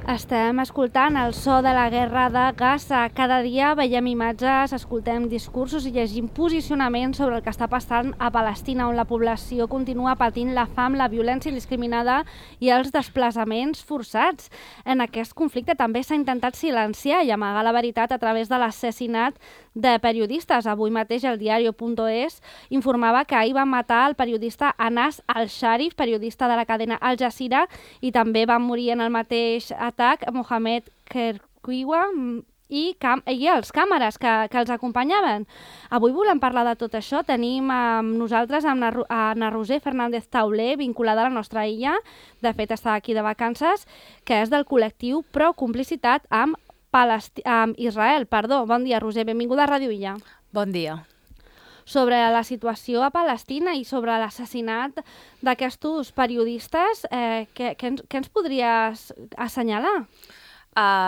Estem escoltant el so de la guerra de Gaza. Cada dia veiem imatges, escoltem discursos i llegim posicionaments sobre el que està passant a Palestina, on la població continua patint la fam, la violència indiscriminada i els desplaçaments forçats. En aquest conflicte també s'ha intentat silenciar i amagar la veritat a través de l'assassinat de periodistes. Avui mateix el diario.es informava que ahir van matar el periodista Anas al-Sharif, periodista de la cadena Al Jazeera, i també van morir en el mateix atac Mohamed Kerquiwa i els càmeres que els acompanyaven. Avui volem parlar de tot això. Tenim amb nosaltres Ana Roser Fernández Tauler, vinculada a la nostra illa, de fet està aquí de vacances, que és del col·lectiu Pro Complicitat amb Israel. Bon dia, Roser, benvinguda a Ràdio Illa. Bon dia. Sobre la situació a Palestina i sobre l'assassinat d'aquests periodistes, què ens podries assenyalar?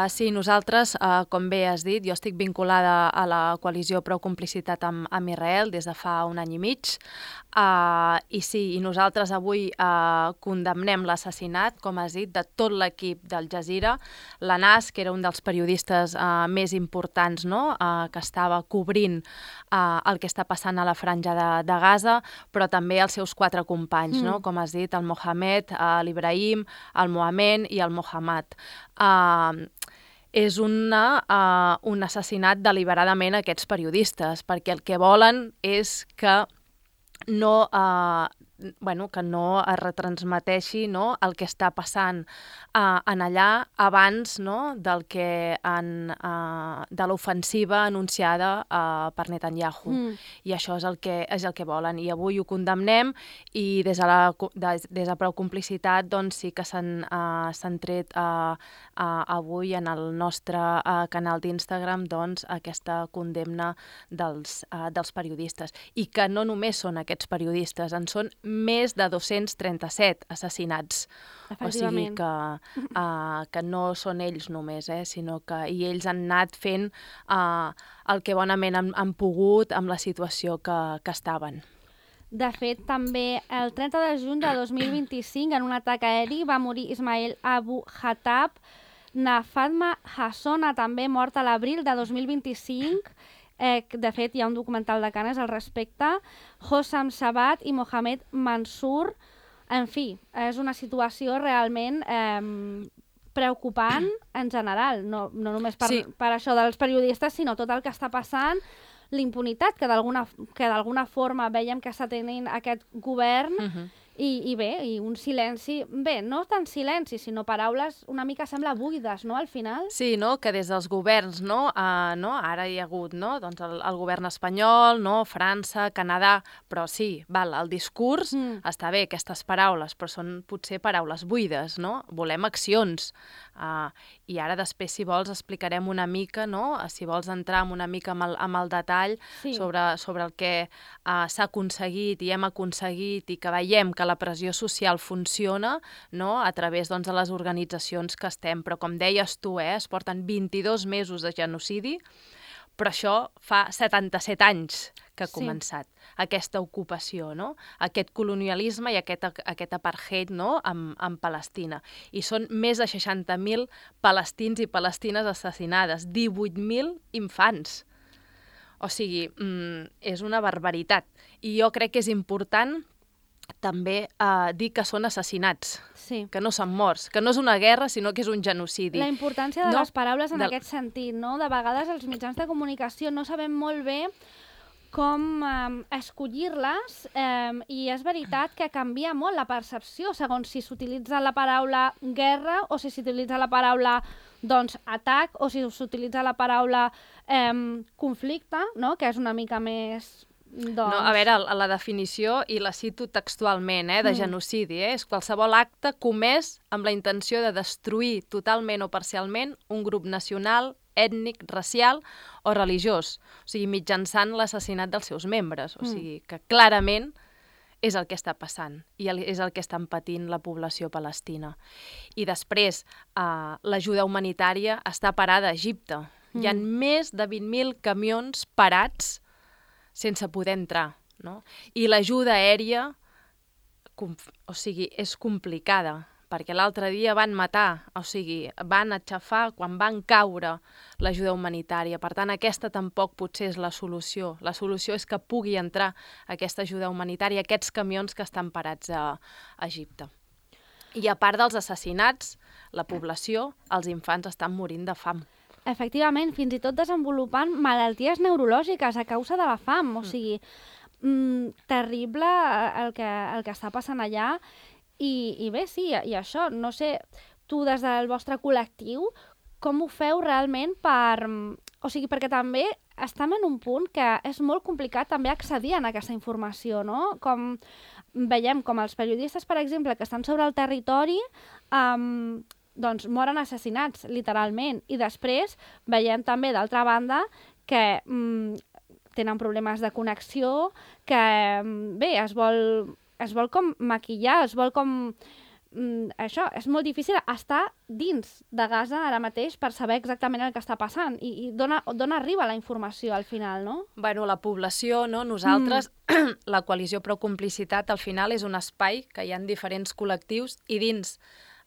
Sí, nosaltres, com bé has dit, jo estic vinculada a la coalició Pro Complicitat amb Israel des de fa un any i mig, i sí, i nosaltres avui condemnem l'assassinat, com has dit, de tot l'equip d'Al Jazeera, l'Anas, que era un dels periodistes més importants, no?, que estava cobrint el que està passant a la franja de Gaza, però també els seus 4 companys, no?, com has dit, el Mohamed, l'Ibrahim, el Mohamed i el Mohammad. És un assassinat deliberadament a aquests periodistes, perquè el que volen és que no es retransmeteixi, no, el que està passant en allà abans, no, de l'ofensiva anunciada per Netanyahu. I això és el que volen. I avui ho condemnem i des de Pro Complicitat doncs, sí que s'han tret avui en el nostre canal d'Instagram doncs, aquesta condemna dels periodistes. I que no només són aquests periodistes, en són més de 237 assassinats. O sigui que no són ells només, sinó que ells han anat fent el que bonament han pogut amb la situació que estaven. De fet, també el 30 de juny de 2025, en un atac aeri, va morir Ismail Abu Khattab. Fatma Hassona, també morta a l'abril de 2025. De fet, hi ha un documental de Canes al respecte. Hossam Sabat i Mohamed Mansour. En fi, és una situació realment preocupant en general, no només per això dels periodistes, sinó tot el que està passant, l'impunitat que d'alguna forma veiem que està tenint aquest govern. I un silenci, no tant silenci, sinó paraules una mica sembla buides, no, al final? Sí, no?, que des dels governs, ara hi ha hagut, doncs el govern espanyol, França, Canadà, però sí, el discurs està bé, aquestes paraules, però són potser paraules buides, no? Volem accions. I ara després, si vols, explicarem una mica, si vols entrar una mica amb el detall sobre el que s'ha aconseguit i hem aconseguit i que veiem que la pressió social funciona, a través de les organitzacions que estem. Però com deies tu, es porten 22 mesos de genocidi, però això fa 77 anys que ha començat aquesta ocupació, aquest colonialisme i aquest apartheid en Palestina. I són més de 60.000 palestins i palestines assassinades, 18.000 infants. O sigui, és una barbaritat. I jo crec que és important també dir que són assassinats, que no són morts, que no és una guerra, sinó que és un genocidi. La importància de les paraules en aquest sentit, no? De vegades els mitjans de comunicació no sabem molt bé com escollir-les i és veritat que canvia molt la percepció segons si s'utilitza la paraula guerra o si s'utilitza la paraula atac o si s'utilitza la paraula conflicte, que és una mica més... A veure, la definició, i la cito textualment, de genocidi, és qualsevol acte comès amb la intenció de destruir totalment o parcialment un grup nacional, ètnic, racial o religiós, o sigui, mitjançant l'assassinat dels seus membres. O sigui, que clarament és el que està passant i és el que estan patint la població palestina. I després, l'ajuda humanitària està parada a Egipte. Hi ha més de 20.000 camions parats sense poder entrar, I l'ajuda aèria, és complicada, perquè l'altre dia van matar, o sigui, van aixafar quan van caure l'ajuda humanitària. Per tant, aquesta tampoc potser és la solució. La solució és que pugui entrar aquesta ajuda humanitària, aquests camions que estan parats a Egipte. I a part dels assassinats, la població, els infants estan morint de fam. Efectivament, fins i tot desenvolupant malalties neurològiques a causa de la fam. O sigui, terrible el que està passant allà. I bé, sí, i això, no sé, tu des del vostre col·lectiu, com ho feu realment per... O sigui, perquè també estem en un punt que és molt complicat també accedir a aquesta informació, no? Com veiem com els periodistes, per exemple, que estan sobre el territori, doncs moren assassinats, literalment. I després veiem també, d'altra banda, que tenen problemes de connexió, que, bé, es vol com maquillar, es vol com... això, és molt difícil estar dins de Gaza ara mateix per saber exactament el que està passant i d'on arriba la informació al final, no? Bueno, la població, no? Nosaltres, la coalició Prou Complicitat, al final és un espai que hi ha diferents col·lectius i dins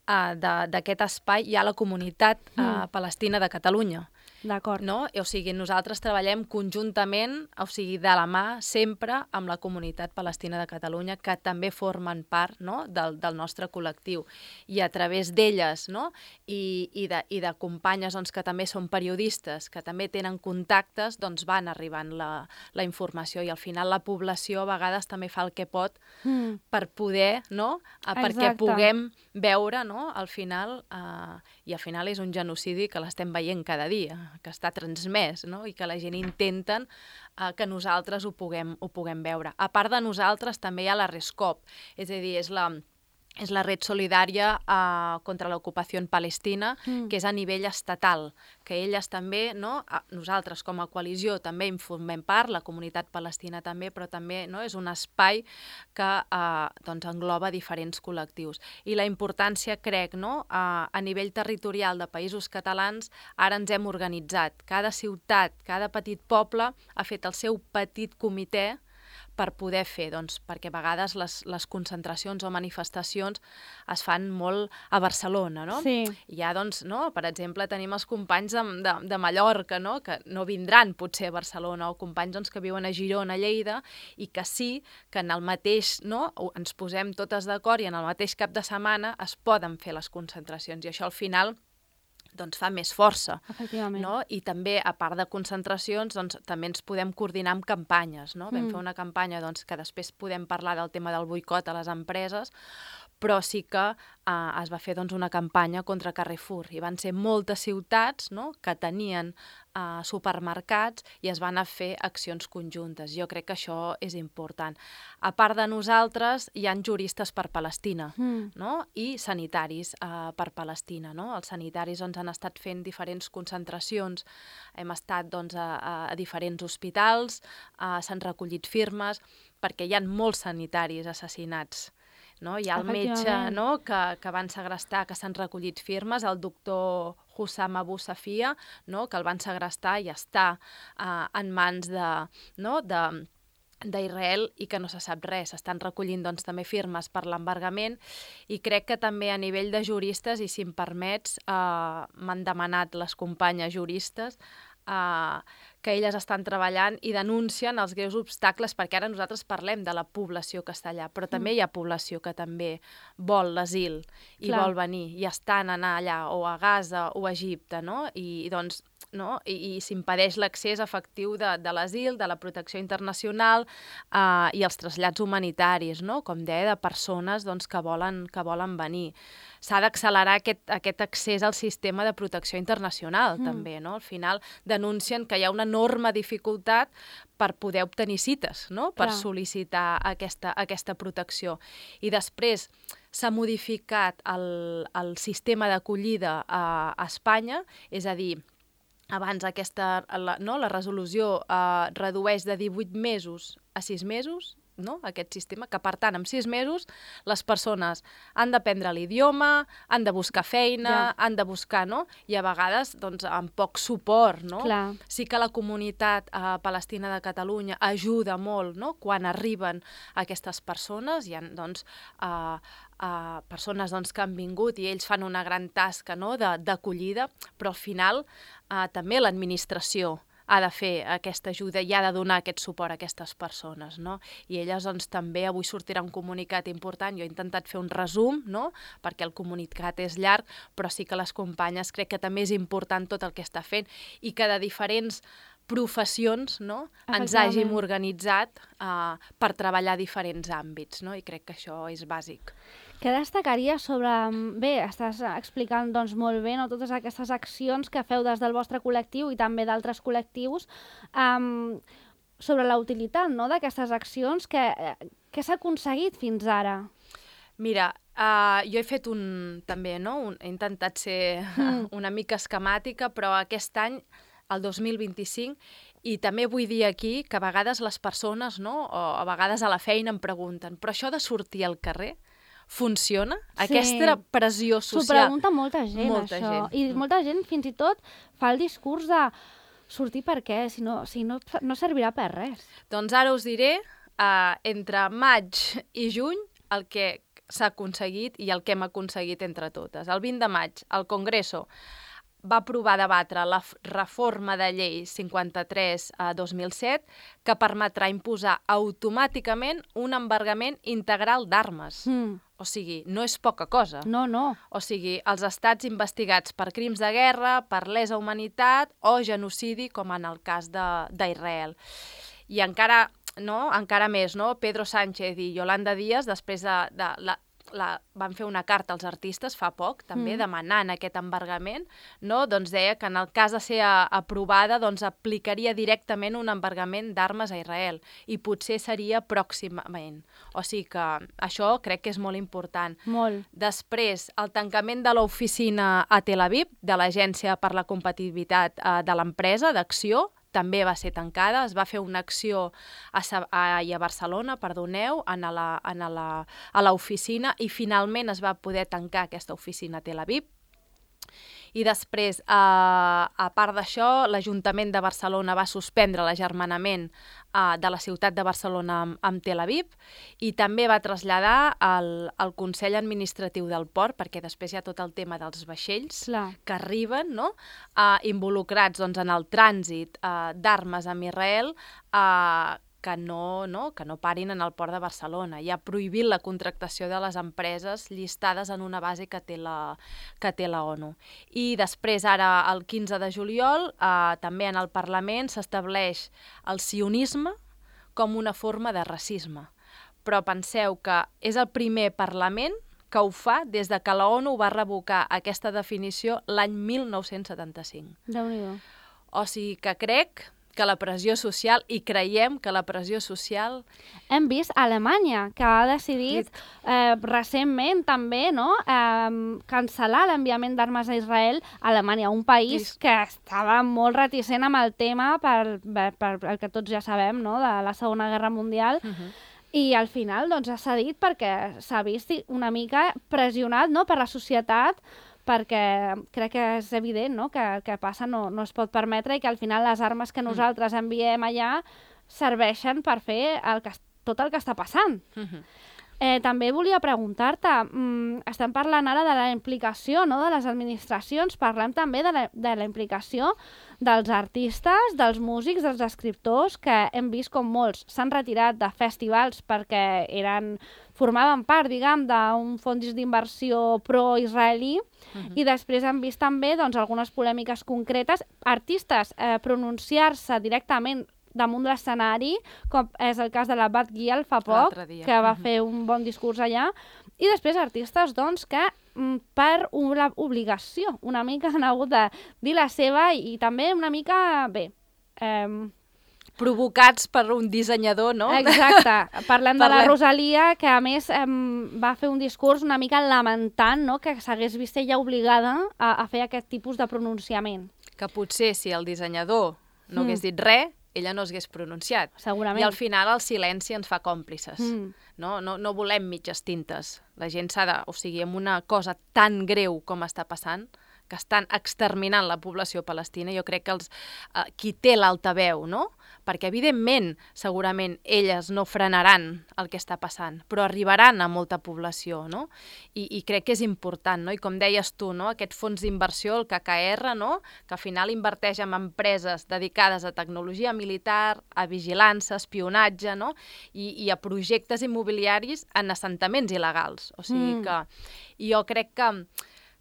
d'aquest espai hi ha la comunitat palestina de Catalunya. D'acord. No? O sigui, nosaltres treballem conjuntament, o sigui, de la mà, sempre amb la comunitat palestina de Catalunya, que també formen part, no? del nostre col·lectiu. I a través d'elles, no? I de companyes doncs, que també són periodistes, que també tenen contactes, doncs van arribant la informació. I al final la població a vegades també fa el que pot per poder, no? Perquè puguem veure, no? Al final, i al final és un genocidi que l'estem veient cada dia, que està transmès, no? I que la gent intenten que nosaltres ho puguem veure. A part de nosaltres també hi ha la RESCOP, és a dir, és la red solidària contra l'ocupació en Palestina, que és a nivell estatal, que elles també, no? Nosaltres com a coalició també en formem part, la comunitat palestina també, però també, no? És un espai que doncs engloba diferents col·lectius. I la importància, crec, no? A nivell territorial de països catalans, ara ens hem organitzat. Cada ciutat, cada petit poble ha fet el seu petit comitè per poder fer, doncs, perquè a vegades les concentracions o manifestacions es fan molt a Barcelona, no? Sí. I ja, doncs, no? Per exemple, tenim els companys de Mallorca, no? Que no vindran potser a Barcelona, o companys doncs, que viuen a Girona, a Lleida, i que sí que en el mateix, no? Ens posem totes d'acord i en el mateix cap de setmana es poden fer les concentracions, i això al final doncs fa més força. Efectivament. No? I també, a part de concentracions, doncs, també ens podem coordinar amb campanyes. No? Vam fer una campanya doncs, que després podem parlar del tema del boicot a les empreses, però sí que es va fer doncs, una campanya contra Carrefour. I van ser moltes ciutats, no? Que tenien supermercats i es van fer accions conjuntes. Jo crec que això és important. A part de nosaltres, hi ha juristes per Palestina, no? I sanitaris per Palestina. No? Els sanitaris doncs, han estat fent diferents concentracions. Hem estat doncs, a diferents hospitals, s'han recollit firmes, perquè hi ha molts sanitaris assassinats. No? Hi ha el metge, no? que van segrestar, que s'han recollit firmes, el doctor Hussam Abu Safia, no? Que el van segrestar i està en mans d'Israel i que no se sap res. Estan recollint doncs, també firmes per l'embargament, i crec que també a nivell de juristes, i si em permets, m'han demanat les companyes juristes que elles estan treballant i denuncien els greus obstacles, perquè ara nosaltres parlem de la població que està allà, però també hi ha població que també vol l'asil i vol venir, i estan anar allà, o a Gaza o a Egipte, no? I doncs no? I s'impedeix l'accés efectiu de l'asil, de la protecció internacional i els trasllats humanitaris, no? Com deia, de persones doncs, que volen venir. S'ha d'accelerar aquest accés al sistema de protecció internacional, també, no? Al final denuncien que hi ha una enorme dificultat per poder obtenir cites, no? Per sol·licitar aquesta protecció. I després s'ha modificat el sistema d'acollida a Espanya, és a dir, abans la resolució redueix de 18 mesos a 6 mesos aquest sistema, que per tant, en 6 mesos, les persones han d'aprendre l'idioma, han de buscar feina, han de buscar, no? I a vegades, doncs, amb poc suport, no? Clar. Sí que la comunitat palestina de Catalunya ajuda molt, no? Quan arriben aquestes persones, hi ha, doncs, persones que han vingut i ells fan una gran tasca, no? D'acollida, però al final també l'administració ha de fer aquesta ajuda i ha de donar aquest suport a aquestes persones, no? I elles, doncs, també avui sortirà un comunicat important. Jo he intentat fer un resum, no? Perquè el comunicat és llarg, però sí que les companyes crec que també és important tot el que està fent i que de diferents professions, no? Ens hàgim organitzat per treballar diferents àmbits, no? I crec que això és bàsic. Què destacaria sobre... Bé, estàs explicant doncs, molt bé, no, totes aquestes accions que feu des del vostre col·lectiu i també d'altres col·lectius sobre la utilitat, no, d'aquestes accions. Què s'ha aconseguit fins ara? Mira, jo he fet també, no? He intentat ser una mica esquemàtica, però aquest any, el 2025, i també vull dir aquí que a vegades les persones, no? O a vegades a la feina em pregunten, però això de sortir al carrer funciona? Aquesta pressió social... S'ho pregunta molta gent, això. I molta gent fins i tot fa el discurs de sortir per què, si no servirà per res. Doncs ara us diré, entre maig i juny, el que s'ha aconseguit i el que hem aconseguit entre totes. El 20 de maig, el Congreso va aprovar debatre la reforma de llei 53/2007 que permetrà imposar automàticament un embargament integral d'armes. O sigui, no és poca cosa. No. O sigui, els estats investigats per crims de guerra, per lesa humanitat o genocidi, com en el cas d'Israel. I encara més, no? Pedro Sánchez i Yolanda Díaz, després van fer una carta als artistes fa poc, també, demanant aquest embargament, no? Doncs deia que en el cas de ser aprovada, doncs aplicaria directament un embargament d'armes a Israel i potser seria pròximament. O sigui que això crec que és molt important. Molt. Després, el tancament de l'oficina a Tel Aviv, de l'Agència per la Competitivitat de l'Empresa, d'Acció, també va ser tancada. Es va fer una acció a Barcelona, a l'oficina, i finalment es va poder tancar aquesta oficina a Tel Aviv. I després, a part d'això, l'Ajuntament de Barcelona va suspendre l'agermanament de la ciutat de Barcelona amb Tel Aviv i també va traslladar al Consell Administratiu del Port, perquè després hi ha tot el tema dels vaixells que arriben, no? Involucrats en el trànsit d'armes amb Israel, que no parin en el port de Barcelona. I ha prohibit la contractació de les empreses llistades en una base que té la ONU. I després, ara, el 15 de juliol, també en el Parlament s'estableix el sionisme com una forma de racisme. Però penseu que és el primer Parlament que ho fa des de que la ONU va revocar aquesta definició l'any 1975. Déu-n'hi-do. O sigui que crec que la pressió social, i creiem que la pressió social... Hem vist Alemanya, que ha decidit recentment també, no?, cancel·lar l'enviament d'armes a Israel. Alemanya, un país que estava molt reticent amb el tema per el que tots ja sabem, no?, de la Segona Guerra Mundial. I al final doncs, ha cedit perquè s'ha vist una mica pressionat, no?, per la societat, perquè crec que és evident, no?, que el que passa no es pot permetre i que al final les armes que nosaltres enviem allà serveixen per fer tot el que està passant. També volia preguntar-te, estem parlant ara de la implicació, no?, de les administracions, parlem també de la implicació dels artistes, dels músics, dels escriptors, que hem vist com molts s'han retirat de festivals perquè formaven part, diguem, d'un fons d'inversió pro-israelí, i després hem vist també doncs, algunes polèmiques concretes, artistes pronunciar-se directament damunt l'escenari, com és el cas de la Bat Gial fa poc, que va fer un bon discurs allà, i després artistes doncs, que per una obligació una mica han hagut de dir la seva i també una mica, provocats per un dissenyador, no? Exacte. Parlem de la Rosalia, que a més va fer un discurs una mica lamentant, no?, que s'hagués vist ella obligada a fer aquest tipus de pronunciament. Que potser si el dissenyador no hagués dit res, ella no s'hagués pronunciat. Segurament. I al final el silenci ens fa còmplices. No volem mitges tintes. La gent s'ha de... O sigui, amb una cosa tan greu com està passant, que estan exterminant la població palestina, jo crec que qui té l'altaveu, no? Perquè, evidentment, segurament elles no frenaran el que està passant, però arribaran a molta població, no? I crec que és important, no? I com deies tu, no? Aquest fons d'inversió, el KKR, no? Que al final inverteix en empreses dedicades a tecnologia militar, a vigilància, espionatge, no? I a projectes immobiliaris en assentaments il·legals. O sigui que jo crec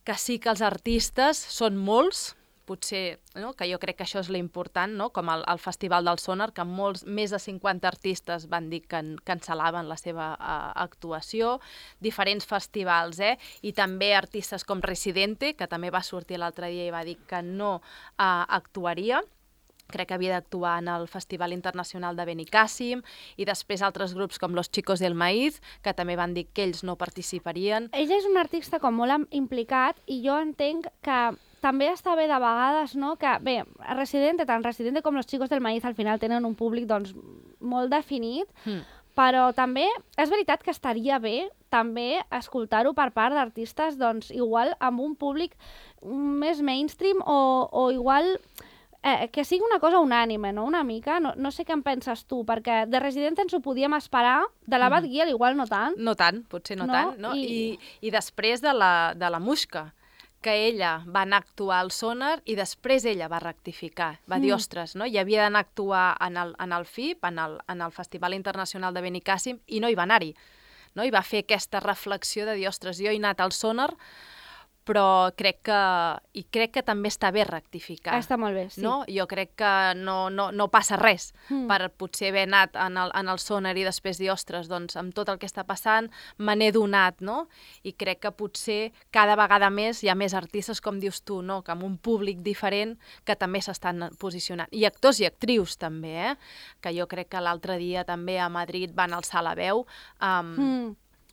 que sí que els artistes són molts, potser, no? Que jo crec que això és l'important, no? Com el Festival del Sonar, que més de 50 artistes van dir que cancel·laven la seva actuació, diferents festivals, i també artistes com Residente, que també va sortir l'altre dia i va dir que no actuaria. Crec que havia d'actuar en el Festival Internacional de Benicàssim, i després altres grups com Los Chicos del Maíz, que també van dir que ells no participarien. Ella és un artista com molt implicat, i jo entenc que també està bé de vegades, no? Que, bé, tant Residente com Los Chicos del Maíz al final tenen un públic doncs, molt definit, però també és veritat que estaria bé també escoltar-ho per part d'artistes doncs, igual amb un públic més mainstream o igual... que sigui una cosa unànime, no? Una mica. No sé què en penses tu, perquè de Residente ens ho podíem esperar, de la Bad Gyal igual no tant. No tant, potser no tant. No? I després de la Muixca, que ella va anar a actuar al Sonar i després ella va rectificar. Va dir, ostres, no? I havia d'anar a actuar en el FIP, en el Festival Internacional de Benicàssim, i no hi va anar-hi. No? I va fer aquesta reflexió de dir, ostres, jo he anat al Sonar, però crec que també està bé rectificar. Està molt bé, sí. No? Jo crec que no passa res per potser haver anat en el Sonar i després dir, ostres, doncs amb tot el que està passant me n'he donat, no? I crec que potser cada vegada més hi ha més artistes, com dius tu, no? Que amb un públic diferent que també s'estan posicionant. I actors i actrius també, que jo crec que l'altre dia també a Madrid van alçar la veu,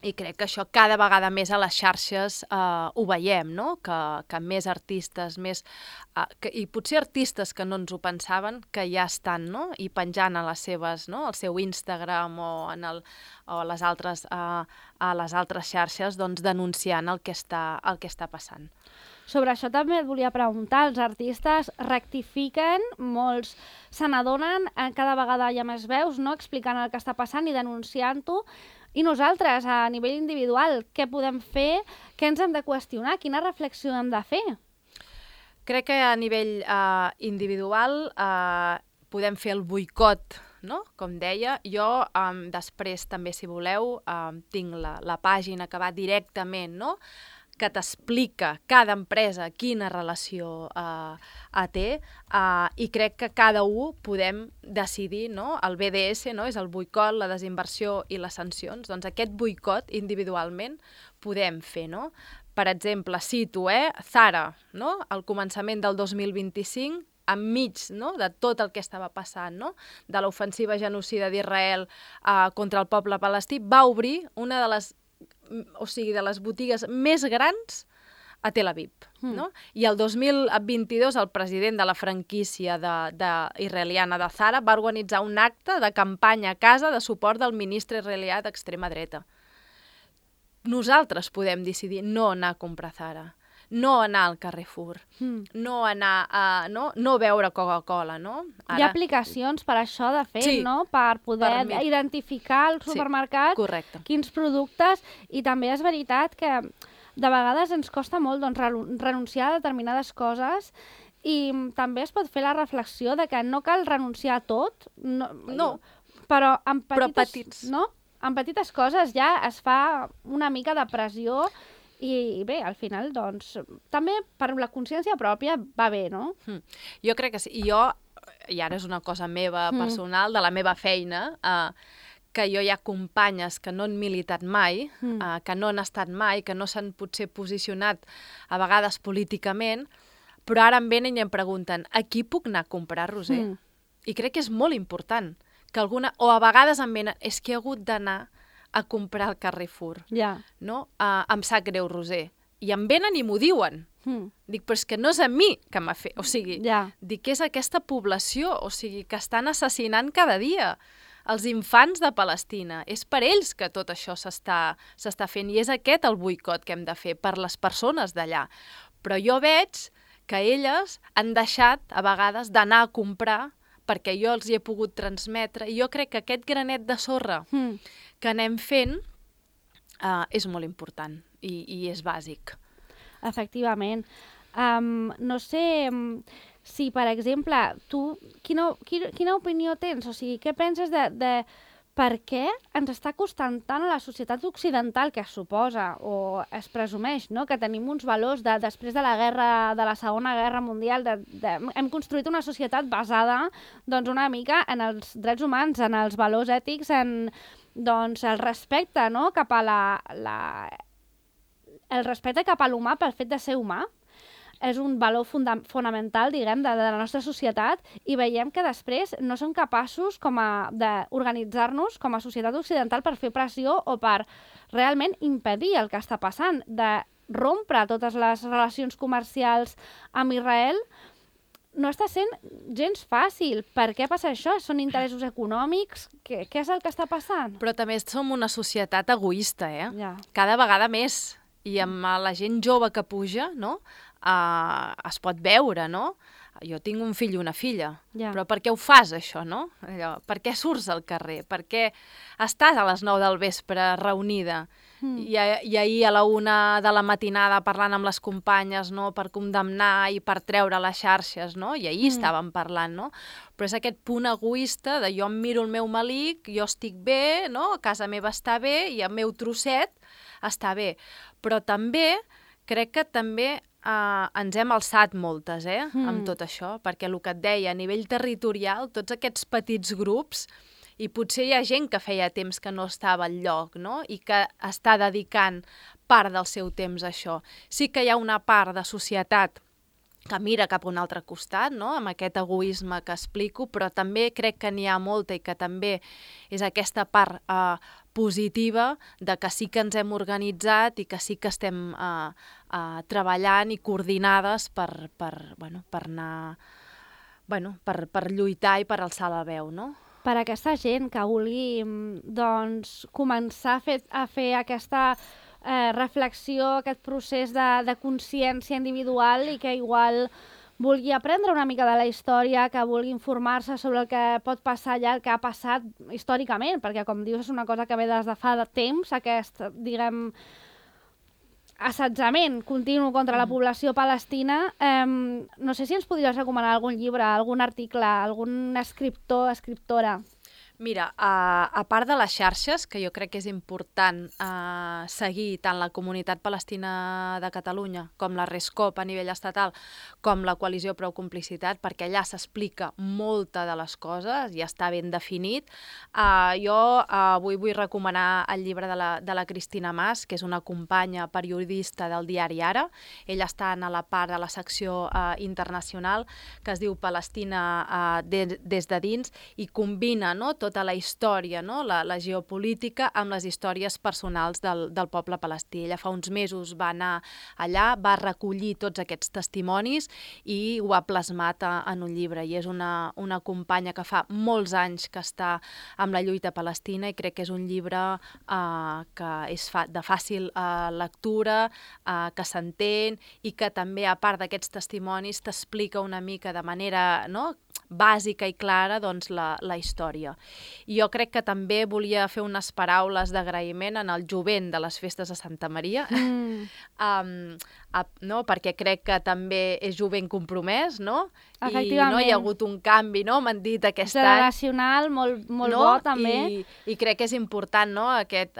i crec que això cada vegada més a les xarxes ho veiem, no? Que més artistes, i potser artistes que no ens ho pensaven, que ja estan, no? I penjant a les seves, no? Al seu Instagram o a les altres xarxes, doncs denunciant el que està passant. Sobre això també et volia preguntar, els artistes rectifiquen, molts se n'adonen, cada vegada hi ha més veus, no? Explicant el que està passant i denunciant-ho. I nosaltres, a nivell individual, què podem fer? Què ens hem de qüestionar? Quina reflexió hem de fer? Crec que a nivell individual podem fer el boicot, no? Com deia. Jo després també, si voleu, tinc la pàgina que va directament, no? Que t'explica cada empresa quina relació té, i crec que cada un podem decidir, no? El BDS, no? És el boicot, la desinversió i les sancions. Doncs aquest boicot individualment podem fer, no? Per exemple, cito, Zara, no? Al començament del 2025, enmig, no? De tot el que estava passant, no? De l'ofensiva genocida d'Israel contra el poble palestí, va obrir una de les botigues més grans a Tel Aviv. No? I el 2022 el president de la franquícia israeliana de Zara va organitzar un acte de campanya a casa de suport del ministre israelià d'extrema dreta. Nosaltres podem decidir no anar a comprar Zara, no anar al Carrefour, no anar no beure Coca-Cola, no? Hi ha aplicacions per això, de fet, sí, no? Per poder identificar al supermercat quins productes, i també és veritat que de vegades ens costa molt doncs, renunciar a determinades coses, i també es pot fer la reflexió de que no cal renunciar a tot, però en petites coses ja es fa una mica de pressió. I bé, al final, doncs, també per la consciència pròpia va bé, no? Jo crec que sí. I ara és una cosa meva personal, de la meva feina, que jo hi ha companyes que no han militat mai, que no han estat mai, que no s'han potser posicionat a vegades políticament, però ara em venen i em pregunten, a qui puc anar a comprar, Roser? I crec que és molt important que o a vegades em venen, és que he hagut d'anar a comprar al Carrefour. No? Em sap greu, Roser, i em venen i m'ho diuen. Dic, però és que no és a mi que m'ha fet... O sigui, dic que és aquesta població, o sigui, que estan assassinant cada dia els infants de Palestina. És per ells que tot això s'està fent, i és aquest el boicot que hem de fer, per les persones d'allà. Però jo veig que elles han deixat, a vegades, d'anar a comprar perquè jo els hi he pogut transmetre, i jo crec que aquest granet de sorra que anem fent és molt important i és bàsic. Efectivament. No sé si, per exemple, tu quina opinió tens? O sigui, què penses de per què ens està costant tant a la societat occidental, que es suposa o es presumeix, no?, que tenim uns valors després de la Segona Guerra Mundial, hem construït una societat basada doncs, una mica en els drets humans, en els valors ètics, en doncs, el respecte, no?, cap a el respecte cap a l'humà pel fet de ser humà. És un valor fonamental, diguem, de la nostra societat, i veiem que després no som capaços d'organitzar-nos com a societat occidental per fer pressió o per realment impedir el que està passant, de rompre totes les relacions comercials amb Israel. No està sent gens fàcil. Per què passa això? Són interessos econòmics? Què és el que està passant? Però també som una societat egoista, Ja. Cada vegada més. I amb la gent jove que puja, no?, es pot veure, no? Jo tinc un fill i una filla, però per què ho fas, això, no? Per què surts al carrer? Per què estàs a les 9 del vespre reunida? I ahir a la 1 de la matinada parlant amb les companyes, no?, per condemnar i per treure les xarxes, no? I ahir estàvem parlant, no? Però és aquest punt egoista de jo em miro el meu melic, jo estic bé, no?, a casa meva està bé i el meu trosset està bé. Però també, crec que també ens hem alçat moltes, amb tot això, perquè el que et deia, a nivell territorial, tots aquests petits grups, i potser hi ha gent que feia temps que no estava al lloc, no?, i que està dedicant part del seu temps a això. Sí que hi ha una part de societat que mira cap a un altre costat, no?, amb aquest egoisme que explico, però també crec que n'hi ha molta i que també és aquesta part positiva de que sí que ens hem organitzat i que sí que estem treballant i coordinades per anar, per lluitar i per alçar la veu, no? Per aquesta gent que vulgui doncs, començar a fer aquesta reflexió, aquest procés de consciència individual, i que igual vulgui aprendre una mica de la història, que vulgui informar-se sobre el que pot passar allà, el que ha passat històricament, perquè, com dius, és una cosa que ve des de fa temps, aquest, diguem, assetjament continu contra la població palestina. No sé si ens podries recomanar algun llibre, algun article, algun escriptor, escriptora. Mira, a part de les xarxes, que jo crec que és important seguir tant la Comunitat Palestina de Catalunya com la RESCOP a nivell estatal, com la Coalició Prou Complicitat, perquè allà s'explica molta de les coses i està ben definit. Jo avui vull recomanar el llibre de la Cristina Mas, que és una companya periodista del diari Ara. Ella està a la part de la secció internacional, que es diu Palestina des de dins, i combina, no, tota la història, no?, la geopolítica amb les històries personals del poble palestí. Ella fa uns mesos va anar allà, va recollir tots aquests testimonis i ho ha plasmat en un llibre. I és una companya que fa molts anys que està amb la lluita palestina, i crec que és un llibre que és de fàcil lectura, que s'entén, i que també, a part d'aquests testimonis, t'explica una mica de manera, no?, bàsica i clara, doncs, la història. I jo crec que també volia fer unes paraules d'agraïment en el jovent de les festes de Santa Maria, no? Perquè crec que també és jovent compromès, no? I no hi ha hagut un canvi, no? M'han dit aquest any. Generacional, molt bo, també. I crec que és important, no?, aquest,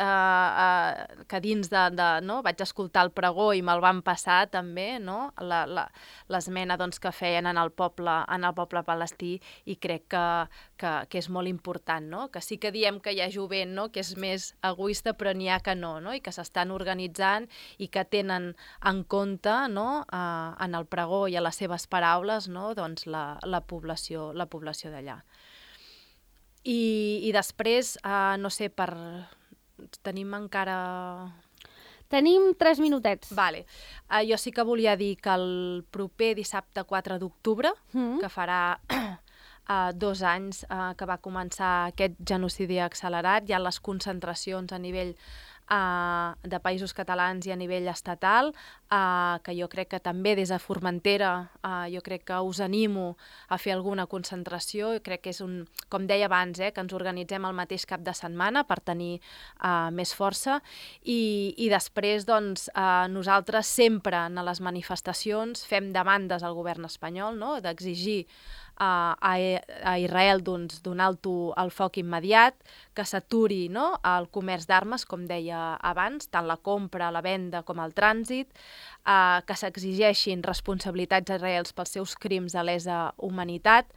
que dins no? Vaig escoltar el pregó i me'l van passar també, no?, l'esmena, doncs, que feien en el poble palestí, i crec que és molt important, no?, que sí que diem que hi ha jovent, no?, que és més egoista, però n'hi ha que no, i que s'estan organitzant i que tenen en compte, no?, en el pregó i a les seves paraules, no?, doncs la població d'allà. I després, no sé, tenim encara... Tenim 3 minutets. Vale. Jo sí que volia dir que el proper dissabte 4 d'octubre, que farà 2 anys que va començar aquest genocidi accelerat, hi ha les concentracions a nivell de països catalans i a nivell estatal, que jo crec que també des de Formentera jo crec que us animo a fer alguna concentració. Jo crec que és com deia abans, que ens organitzem el mateix cap de setmana per tenir més força i després doncs, nosaltres sempre en les manifestacions fem demandes al govern espanyol, no? D'exigir a Israel donar el foc immediat, que s'aturi, no? El comerç d'armes, com deia abans, tant la compra, la venda com el trànsit, que s'exigeixin responsabilitats a Israel pels seus crims de lesa humanitat,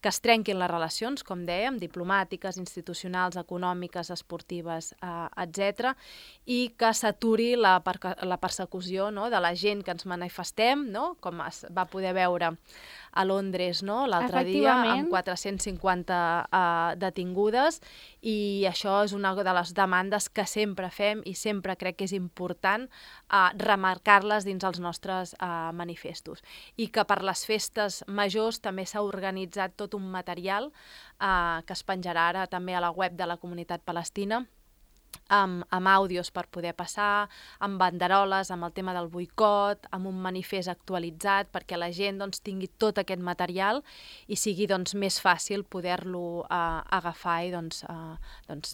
que es trenquin les relacions, com dèiem, diplomàtiques, institucionals, econòmiques, esportives, etc., i que s'aturi la persecució, no? De la gent que ens manifestem, no? Com es va poder veure a Londres, no? L'altre dia, amb 450 detingudes, i això és una de les demandes que sempre fem i sempre crec que és important remarcar-les dins els nostres manifestos. I que per les festes majors també s'ha organitzat tot un material que es penjarà ara també a la web de la comunitat palestina, amb àudios per poder passar, amb banderoles, amb el tema del boicot, amb un manifest actualitzat perquè la gent doncs, tingui tot aquest material i sigui doncs, més fàcil poder-lo agafar i doncs,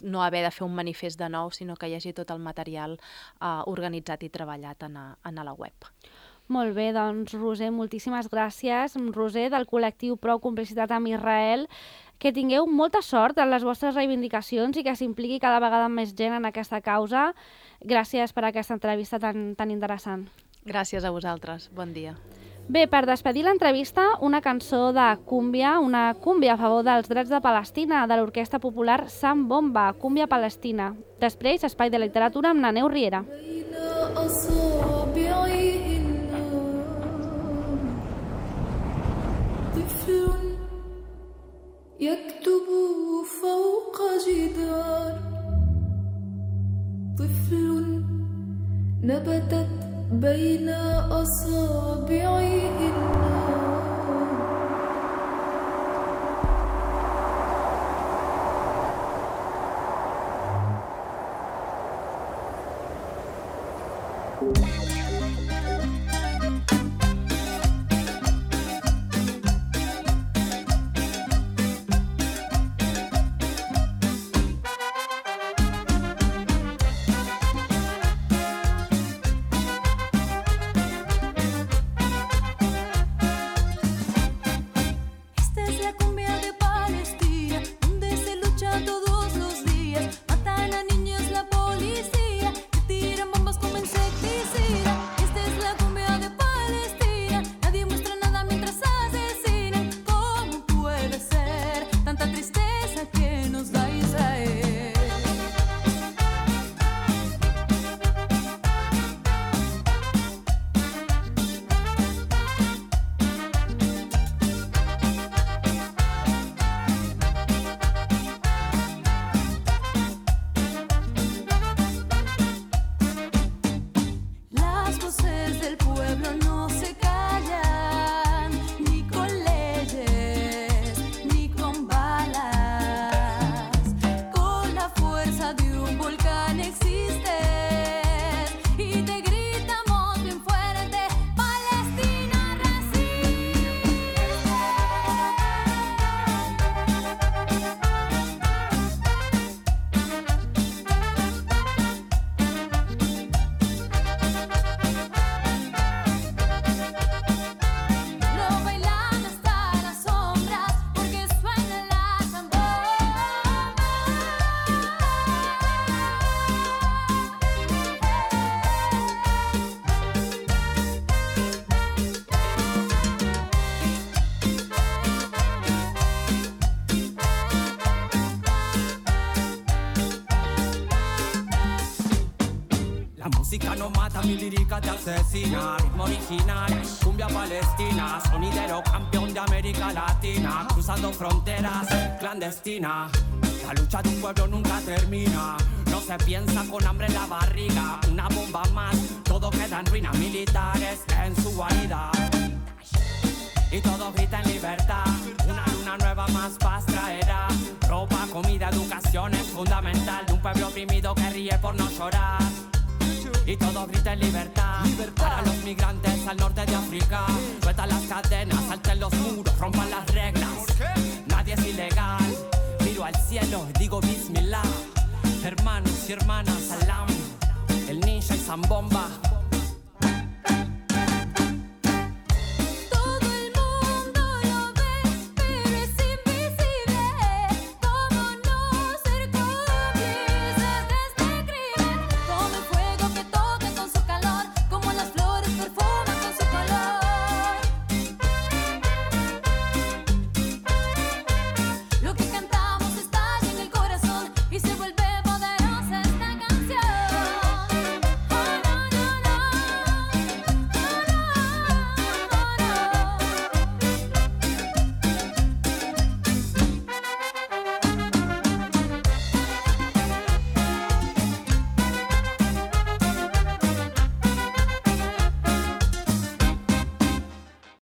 no haver de fer un manifest de nou, sinó que hi hagi tot el material organitzat i treballat a la web. Molt bé, doncs Roser, moltíssimes gràcies. Roser, del col·lectiu Prou Complicitat amb Israel, que tingueu molta sort en les vostres reivindicacions i que s'impliqui cada vegada més gent en aquesta causa. Gràcies per aquesta entrevista tan interessant. Gràcies a vosaltres. Bon dia. Bé, per despedir l'entrevista, una cançó de cúmbia, una cúmbia a favor dels drets de Palestina, de l'orquestra popular Sam Bomba, Cúmbia Palestina. Després, Espai de Literatura amb Naneu Riera. يكتب فوق جدار طفل نبتت بين أصابعه النار música no mata, mi lírica te asesina. Ritmo original, cumbia palestina. Sonidero campeón de América Latina. Cruzando fronteras, clandestina. La lucha de un pueblo nunca termina. No se piensa con hambre en la barriga. Una bomba más, todo queda en ruinas militares en su guarida. Y todos gritan libertad, una luna nueva más paz traerá. Ropa, comida, educación es fundamental de un pueblo oprimido que ríe por no llorar. Y todos gritan libertad, para los migrantes al norte de África. Sueltan las cadenas, salten los muros, rompan las reglas. Nadie es ilegal, miro al cielo y digo Bismillah. Hermanos y hermanas, salam, el ninja y Zambomba.